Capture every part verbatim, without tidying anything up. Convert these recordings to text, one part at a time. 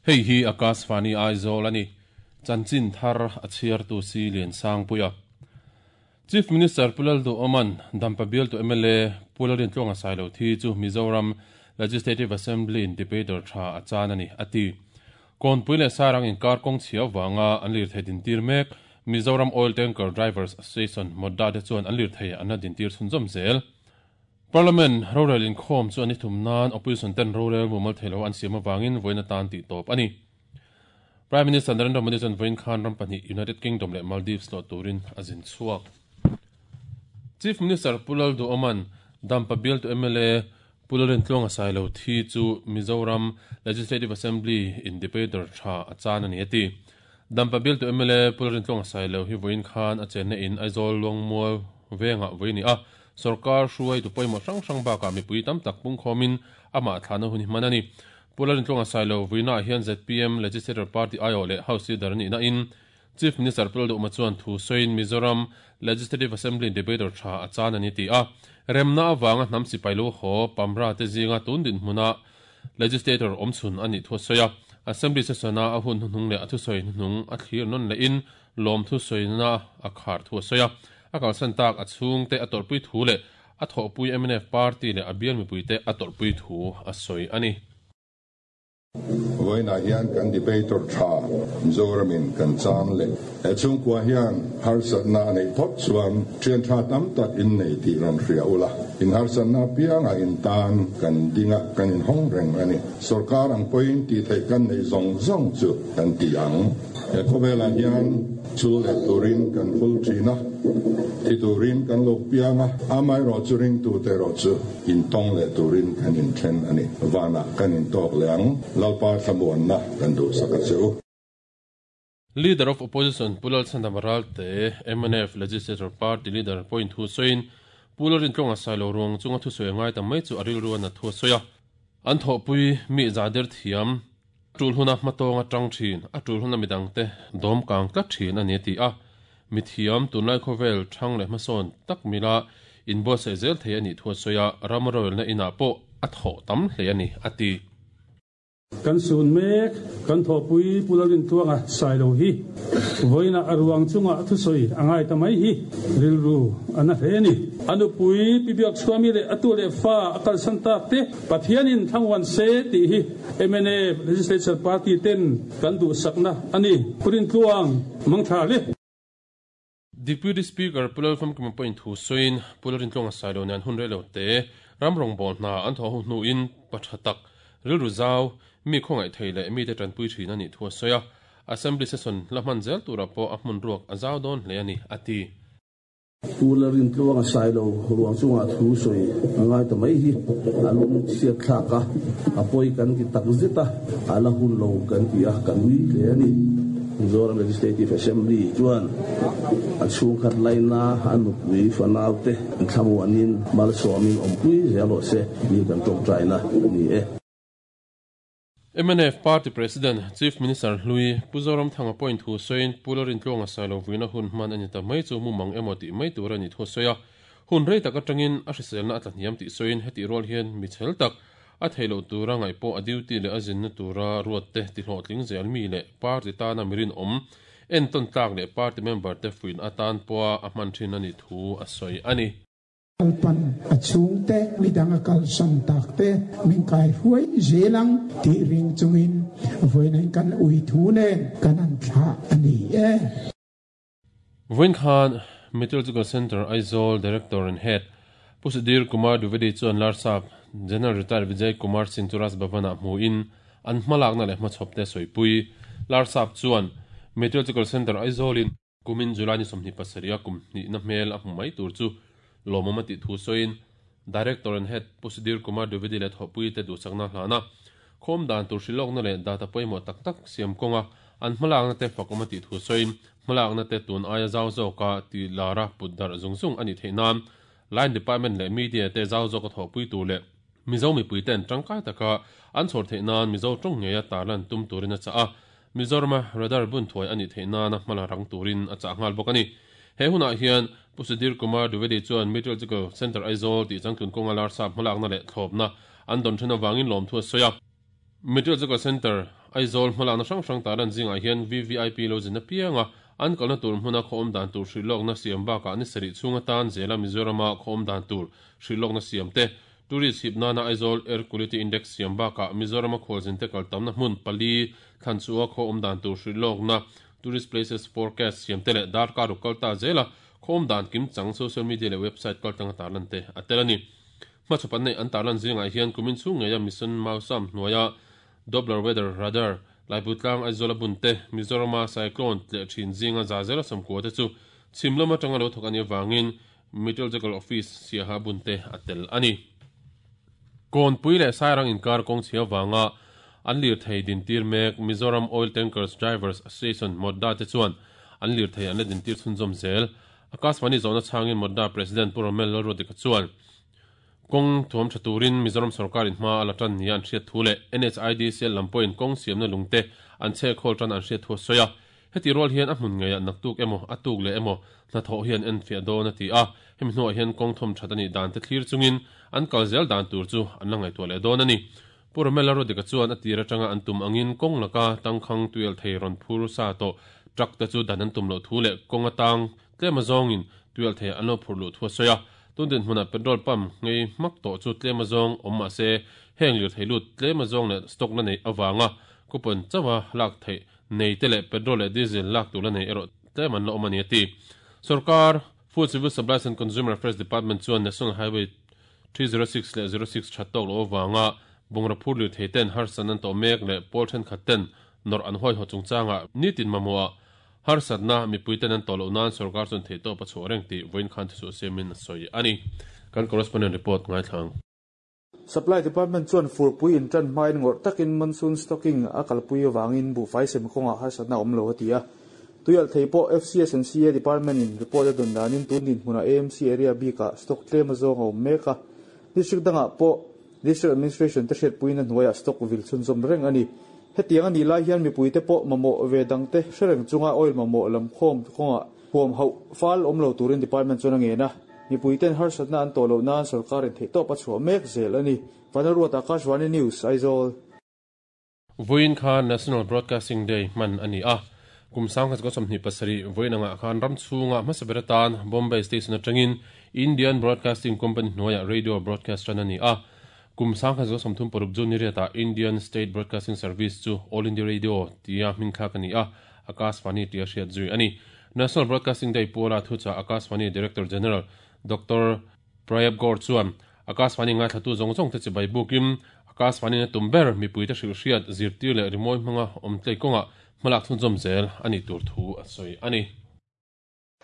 Hei hi Akashvani Aizawl ani. Chanchin thar a chhiar tu si Lian Sangpuia. Chief Minister Pu Lalduhoma'n Dampa bialtu M L A Pu Lalrintluanga Sailo thi chu Mizoram Legislative Assembly in debater tha a chan a ni a ti. Kawnpui leh Sairang inkar kawng chhia vanga an lirthei dintir mek Mizoram Oil Tanker Drivers Association Modda te chuan an lirthei an la dintir chhunzawm zel. Parliament rorel inkhawm chu an i thum nan opposition ten rorel mumal theilo an siam avangin vawiin atan tih tawp a ni. Prime Minister Narendra Modi chuan vawiin khan ram pahnih United Kingdom leh Maldives tlawh turin a zin chhuak. Chief Minister Pu Lalduhoma'n Dampa bialtu M L A Pu Lalrintluanga Sailo thi chu Mizoram Legislative Assembly in debater tha a chan a ni a ti. Dampa bialtu M L A Pu Lalrintluanga Sailo hi vawiin khan a chenna in Aizawl Luangmual vengah vawi a ni a, sorkar hruaitu pawimawh hrang hrang bakah mipui tam tak pungkhawmin amah thlahna hun hi hman a ni. Pu Lalrintluanga Sailo vuinaah hian Z P M Legislature Party aiawh leh House Leader a nihna in Chief Minister Pu Lalduhoma chuan thu sawiin Mizoram Legislative Assembly debater tha a chan a ni ti a. Remna avanga hnam sipai lo haw Pamra te zinga tun dinhmuna legislator awmchhun a nih thu a sawi a. Assembly session a a hun hnuhnung leh a thusawi hnuhnung a thlir nawn lehin lawm thusawina a khar thu a sawi a. A kalsan tak a chhungte a tawrhpui thu leh a thawhpui M N F party leh a bial mipuite a tawrhpui thu a sawi a ni. Vawiinah hian kan debater tha Mizoramin kan chan leh. He chhungkua hian harsatna a neih phawt chuan thian tha tam tak in nei tih rawn hria ula. In harsatna pianga in tan kan dinga kan inhawng reng a ni. Sorkar ang pawhin tih theih kan neih zawng zawng chu kan ti ang. He khawvelah hian chul leh turin kan phul thin a, thi turin kan lo piang a, amaherawhchu ringtute erawh chu intawng leh turin kan inthen a ni. Vanah kan intawk leh ang. Lalpa thlamuanna kan duhsak a che u. Leader of Opposition Pu Lalchhandama Ralte, M N F Legislature Party Leader pawhin thu sawiin Pu Lalrintluanga Sailo ruang chunga thusawi a ngai ta mai chu a rilru a nat thu a sawi a. An thawhpui mi zahder thiam, tul huna hmatawng atang thin, a tul huna midangte dawm kang tlat thin a ni a ti a. Mithiam tunlai khawvel thang leh hmasawn tak mila inbuatsaih zel thei a nih thu a sawi a, ram rorelna inah pawh a thawh tam hle a ni a ti. Kan sun mek kan thawhpui Pu Lalrintluanga Sailo hi vawiinah a ruang chunga thusawi a ngai ta mai hi rilru a na hle a ni. A nupui Pi Biakchhuami leh a tu leh fa a kalsan tak te Pathianin thlamuan se tih hi M N F Legislature Party ten kan duhsakna a ni. Pu Rintluang mangtha le. Deputy Speaker Pu Lalfamkima pawhin thu sawiin Pu Lalrintluanga Sailo nen hun reilo te ram rawngbâwl hna an thawh ho hnuin pa tha tak rilru zau mi khawngaih thei leh mite tanpui thin a nih thu a sawi a. Assembly session la hman zel turah pawh a hmun ruak a zau dawn hle a ni a ti. Pu Lalrintluanga Sailo ruang chunga thu sawi a ngai ta mai hi a lung chhiat thlak a, a pawi kan ti tak zet a, a la hun lo kan ti a, kan ui hle a ni. Mizoram Legislative Assembly chuan a chhungkhat laina a nupui fanaute thlamuanin malsawmin awmpui zel rawh se tih kan tawngtaina a ni e. M N F Party President Chief Minister hlui Pu Zoramthanga pawhin thu sawiin Pu Lalrintluanga Sailo vuina hun hman a ni ta mai chu mumang emaw tih mai tur a nih thu a sawi a. Hun rei tak atangin a hriselna a tlahniam tih sawiin hetih rual hian mi chhel tak a theih loh tura ngaih pawh a duty leh a zinna tura ruat te tihlawhtling zel mi leh party tana mirin awm entawn tlak leh party member te fuin atan pawha a hman thin a nih thu a sawi a ni. Lalpan a chhungte midang a kalsan tak te min kai hruai zelang tih ring chungin vawiin kan ui thu nen kan an thlah a ni e. Vawiin khan Meteorological Centre Aizawl Director and Head Pu Sudhir Kumar Dwivedi chuan Larsap General Retired Vijay Kumar Singh chu Raj Bhavan-ah hmuin an hmalakna leh hmachhawp te sawipui. Larsap chuan Meteorological Centre Aizawlin kumin July ni sawmhnih pasarih a kum hnihna hmel a hmu mai tur chu lawmawm a tih thu sawiin Director and Head Pu Sudhir Kumar Dwivedi leh thawhpui te duhsakna hlana khawm dan tur hrilawkna leh data pawimawh tak tak siam kawnga an hmalakna te fakawm a tih thu sawiin hmalakna te tun aia zau zawka ti lara put darh zung zung a nih theih nan line department leh media te zau zawka thawhpui tur leh Mizo mipui ten tangkai taka an chhawr theih nan Mizo tawng ngeia tarlan tum turin a chah a. Mizorama radar bun thuai a nih theih nana hmala rang turin a chah nghal bawk a ni. He hunah hian Pu Sudhir Kumar Dwivedi chuan Meteorological Centre Aizawl tih changtlun kawnga Larsap hmalakna leh thlawpna an dawn then awangin lawm thu a sawi a. Meteorological Centre Aizawl hmalakna hrang hrang tarlan zingah hian V V I P lo zin apianga an kalna tur hmuna khawm dan tur hrilhlawkna siam bakah ni sarih chhunga tan zela Mizorama khawm dan tur hrilhlawkna siam te tourist hip nana Aizawl Air Quality Index siam bakah Mizorama khualzin te kal tamna hmun pali thlanchua khawm dan tur hrilhlawkna tourist places forecast siam te leh darkar ruk kalta zela khawm dan kim chang social media leh website kaltanga tarlan te a tel ani. Hmachhapan nei an tarlan zingah hian kumin chhung ngeia Mission Mausam hnuaia Doppler Weather Radar Laiputlang Aizawl a bun te Mizorama cyclone tle thin zinga za zela samkua te chu chhimlam atanga lo thawk ani awangin Meteorological Office siaha bun te a tel ani. Kawnpui leh Sairang inkar kawng chhia wanga an lir thei din tir mek Mizoram Oil Tankers Drivers Association Modda te chuan an lir thei an la din tir chhunzawm zel. Akashvani zawhna chhangin Modda President Pu Romel Lalruadika chuan kawng thuam tha turin Mizoram sarkar in hma a la tan nia an hriat thu leh N H I D C L lam pawhin kawng siamna lungte an chhe khawl tan an hriat thu a sawi a. Heti rual hian a hmun ngeiah naktuk emaw a tuk leh emaw hnathawh hian en fiah dawn a ti a. Hemi hnuah hian kawng thawm that ani dan te thlir chungin an kal zel dan tur chu an la ngaihtuah leh dawn ani. Pu Romel Lalruadika chuan a tir atanga an tum angin kawng laka tangkhang tuil thei rawn phur sa tawh truck te chu dan an tum loh thu leh kawng atang tlem azawngin tuil thei an lo phur luh thu a sawi a. Tundin hmuna petrol pump ngei hmak tawh chu tlem azawng awm mah se heng lir thei lut tlem azawng leh stock la nei awanga coupon chawa lak thei nei te leh petrol leh diesel lak tur la nei erawh tlem an la awm ani a ti. Sarkar Food Civil Supplies and Consumer Affairs Department chuan National Highway three zero six leh zero six that tawk lo awanga bungra phur lir thei ten harsan an tawh mek leh pawl thenkhat ten nawr an huai haw chungchanga nitin mamawh harsatna mipui ten an tawh loh nan sarkar chuan thei tawp a chhuah reng tih vawiin khan thusuh siamin a sawi ani. Kan correspondent report ngaithlang. Supply Department chuan furpui in tan hmain ngawrh takin monsoon stocking a kalpui awangin buhfai sem kawngah harsatna awm lo a ti a. Tuial thei pawh F C S and C A Department in report a dawn danin tundin hmuna A M C area bikah stock tlem azawng a awm mek a. District dangah pawh District Administration te hriatpuiin a hnuaiah stock vil chhunzawm reng ani. Hetiang ani lai hian mipui te pawh mamawh ve dang te hrereng chunga oil mamawh lam khawm kawngah huam hauh fal awm lo turin department chuan a ngen a. Mipui ten harsatna an tawh loh nan sarkarin thei tawp a chhuah mek zel ani. Vanruat Akashvani News Aizawl. Vawiin khan National Broadcasting Day hman ani a. Kum sangkhat ko sawmhnih pasarih vawiin angah khan ram chhunga hmasa ber atan Bombay Station atangin Indian Broadcasting Company hnuaiah radio broadcast tan ani a. Kum sangkhat zo sawmthum paruk chu ni riatah Indian State Broadcasting Service chu All India Radio tia hmingthlak ani a. Akashvani tia hriat zui ani. National Broadcasting Day puala thucha Akashvani Director General Doctor Prayab Gaur chuan Akashvani ngaithlatu zawng zawng te chibai bukim Akashvani na tumber mipui te hrilh hriat zirtir leh rimawi hmanga awm tlei kawngah hmalak chhunzawm zel ani tur thu a sawi ani.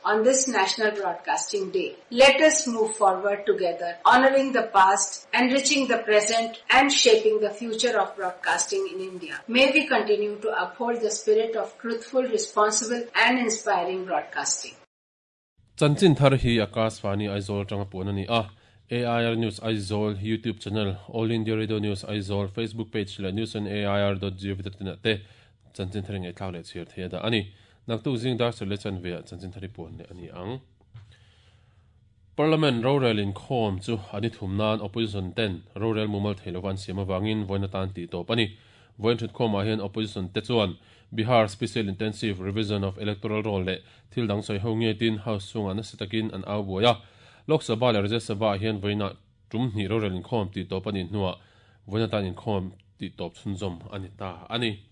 On this National Broadcasting Day, let us move forward together, honoring the past, enriching the present, and shaping the future of broadcasting in India. May we continue to uphold the spirit of truthful, responsible, and inspiring broadcasting. Chanchin thar hi Akashvani Aizawl tanga puan ani a. A I R News Aizawl YouTube channel, All India Radio News Aizawl Facebook page leh news on A I R dot gov dot in te chanchin thar ngai thlau leh chhir thei da ani. Naktu zing dar sel le chan ve chanchin thari puan le ani ang. Parliament rorel in khom chu ani thumnan opposition ten rorel mumal theilowan siam awangin voina tan ti tawp ani. Voin thut khawmah hian opposition te chuan Bihar Special Intensive Revision of Electoral Roll leh thil dang sawi ho nge tin house chungah nasa takin an au buai a. Lok Sabha leh Rajya Sabha hian voina tum hnih rorel in khawm ti tawp ani hnuah voina tan in khawm ti tawp chhunzawm ani ta ani.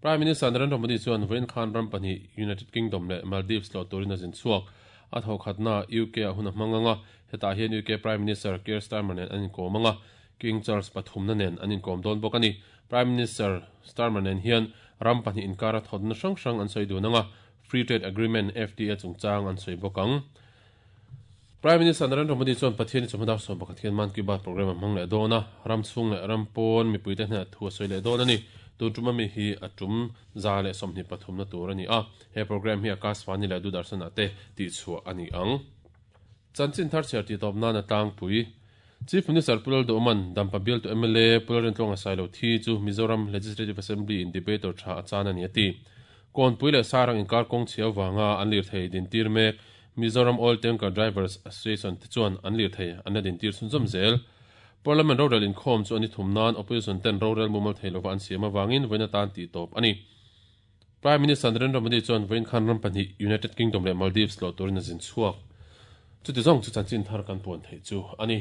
Prime Minister Narendra Modi chuan vawiin khan ram pahnih United Kingdom leh Maldives lo turin a zin chhuak. A thawkhatna U K a hun a hmang anga hetah hian U K Prime Minister Keir Starmer nen an inkawm anga King Charles pathumna nen an inkawm dawn bawk ani. Prime Minister Starmer nen hian ram pahnih inkar a thawtna hrang hrang an sawi dun anga Free Trade Agreement F T A chungchang an sawi bawk ang. Prime Minister Narendra Modi chuan Pathian chawhma sawm pakhat hian Mann Ki Baat program a hmang leh dawn a. Ram chhung leh ram pawn mipui te hnenah thu a sawi leh dawn ani. Tun tuma mi hi a tum za leh sawmhnih pathumna tur ani a. He program hi Akashvani leh Doordarshan te tih chhuah ani ang. Chanchin thar chhiar ti tawp nan a tlangpui. Chief Minister Pu Lalduhoman Dampa bial tu M L A Pu Lalrintluanga Sailo thi chu Mizoram Legislative Assembly in debater tha a chan ani ati. Kawnpui leh Sairang inkar kawng chhia awanga an lir thei din tir mek Mizoram Oil Tanker Drivers Association te chuan an lir thei an la din tir chhunzawm zel. Parliament rorel inkhawm chu ani thum nan opposition ten rorel mumal thei lova an siam awangin vawiin atan tih tawp a ni. Prime Minister Narendra Modi chuan vawiin khan ram pahnih United Kingdom leh Maldives tlawh turin a zin chhuak. Chuti zawng chu chanchin thar kan puan theih chu a ni.